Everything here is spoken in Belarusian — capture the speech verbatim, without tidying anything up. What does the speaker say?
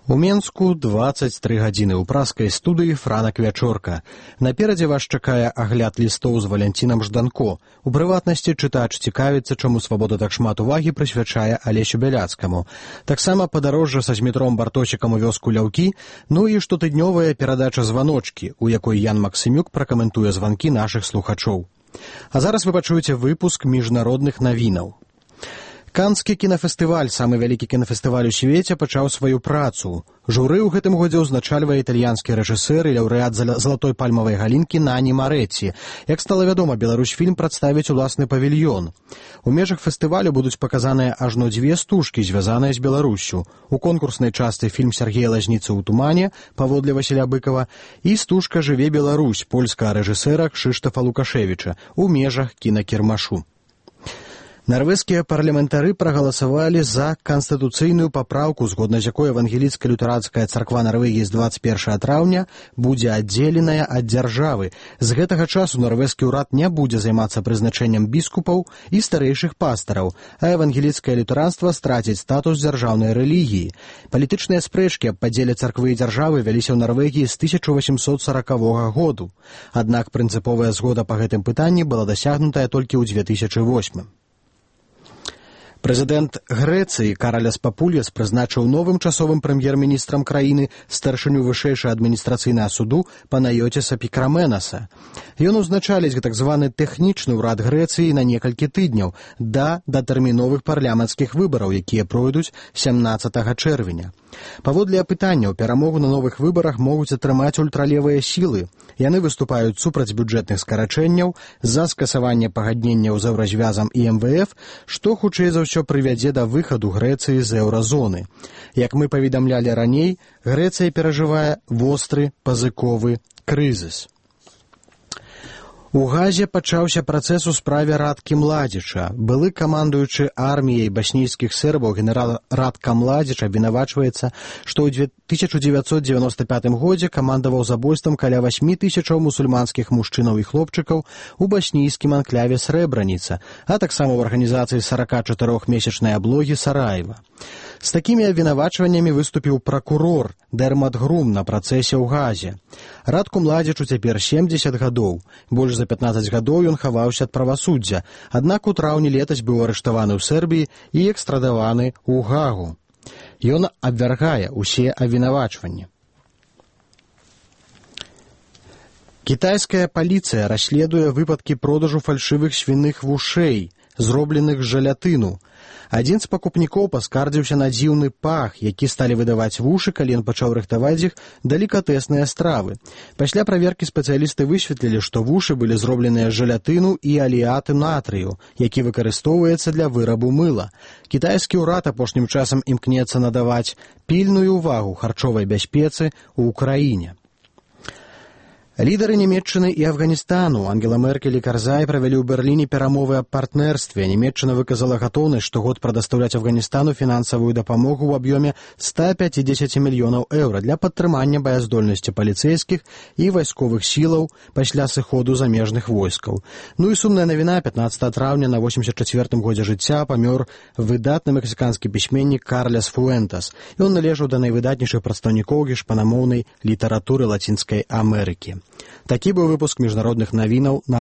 У Менску дваццаць тры гадзіны ў праскай студыі «Франак Вячорка». Наперадзе вас чакае агляд лістоў з Валянцінам Жданко. У прыватнасці чытач цікавіцца, чаму «Свабода» так шмат увагі прысвячае Алесю Бяляцкаму. Таксама падарожжа са Змітром Бартосікам у вёску Ляўкі, ну і штотыднёвая перадача «Званочкі», у якой Ян Максымюк пракаментуе званкі нашых слухачоў. А зараз вы пачуеце выпуск міжнародных навінаў. Канскі кінафестываль, самы вялікі кінафестываль у свеце, пачаў сваю працу. Журы ў гэтым годзе ўзначальвае італьянскі рэжысэр і лаўрэат залатой пальмавай галінкі Нані Марэці. Як стала вядома, Беларусьфільм прадставіць уласны павільён. У межах фестывалю будуць паказаныя ажно дзве стужкі, звязаныя з Беларуссю. У конкурснай частцы фільм Сяргея Лазніцы ў тумане, паводле Васіля Быкава, і стужка «Жыве Беларусь» польскага рэжысэра Кшыштафа Лукашевіча у межах кінакірмашу. Нарвежскія парламентары прагаласавалі за канстытуцыйную папраўку, згодна з якой евангеліцка-лютэранская царква Нарвегіі з дваццаць першага траўня будзе аддзеленая ад дзяржавы. З гэтага часу нарвежскі ўрад не будзе займацца прызначэннем біскупаў і старэйшых пастараў, а евангеліцкае лютэранства страціць статус дзяржаўнай рэлігіі. Палітычныя спрэчкі аб падзеле царквы і дзяржавы вяліся ў Нарвегіі з тысяча васемсот саракавога году. Аднак прынцыповая згода па гэтым пытанні была дасягнутая толькі ў дзве тысячы восьмым. Прэзідэнт Грэцыі Караляс Папульяс прызначыў новым часовым прэм'ер-міністрам краіны старшыню вышэйшага адміністрацыйнага суду Панайотіса Пікраменаса. Ён узначаліць так званы тэхнічны ўрад Грэцыі на некалькі тыдняў да датэрміновых парламенцкіх выбараў, якія пройдуць сямнаццатага чэрвеня. Паводле апытанняў, перамогу на новых выбарах могуць атрымаць ультралевыя сілы. Яны выступаюць супраць бюджэтных скарачэнняў, за скасаванне пагадненняў з еўразвязам і эм вэ эф, што хутчэй за ўсё прывядзе да выхаду Грэцыі з еўразоны. Як мы паведамлялі раней, Грэцыя перажывае востры пазыковы крызіс. У Газе пачаўся працэс у справе Радкі Младзіча. Былы камандуючы арміяй баснійскіх сербаў генерал Радка Младзіч абвінавачваецца, што ў тысяча дзевяцьсот дзевяноста пятым годзе камандаваў забойствам каля васьмі тысячаў мусульманскіх мужчынаў і хлопчыкаў у баснійскім анкляве Срэбраніца, а таксама ў арганізацыі саракачатырохмесячнай аблогі Сараева. З такімі абвінавачваннямі выступіў пракурор Дэрмат Грум на працэсе ў Газе. Радку Младзічу цяпер семдзесят гадоў. Больш за пятнаццаць гадоў ён хаваўся ад правасуддзя, аднак у траўні летась быў арыштаваны ў Сербіі і экстрадаваны ў Гагу. Ён абвяргае ўсе абвінавачванні. Кітайская паліцыя расследуе выпадкі продажу фальшывых свіных вушэй, зробленых з жалятыну. Адзін з пакупнікоў паскардзіўся на дзіўны пах, які сталі выдаваць вушы, калі ён пачаў рыхтаваць іх далікатэсныя стравы. Пасля праверкі спецыялісты высветлілі, што вушы былі зробленыя з жалятыну і алеату натрыю, які выкарыстоўваецца для вырабу мыла. Кітайскі ўрад апошнім часам імкнецца надаваць пільную ўвагу харчовай бяспецы ў краіне. Лідары Нямецчыны і Афганістану Ангела Меркель і Карзай правялі ў Берліне перамовы аб партнерстве. Нямецчына выказала гатоўнасць штогод прадастаўляць Афганістану фінансавую дапамогу ў аб'ёме ста пяцідзесят мільёнаў еўра для падтрымання баяздольнасці паліцэйскіх і вайсковых сілаў пасля сыходу замежных войскаў. Ну і сумная навіна: пятнаццатага траўня на восемьдесят чацвёртым годзе жыцця памёр выдатны мексіканскі пісьменнік Карлес Фуэнтас. Ён належаў да найвыдатнейшых прадстаўнікоў гішпанамоўнай літаратуры Лацінскай Амерыкі. Такі быў выпуск міжнародных навінаў на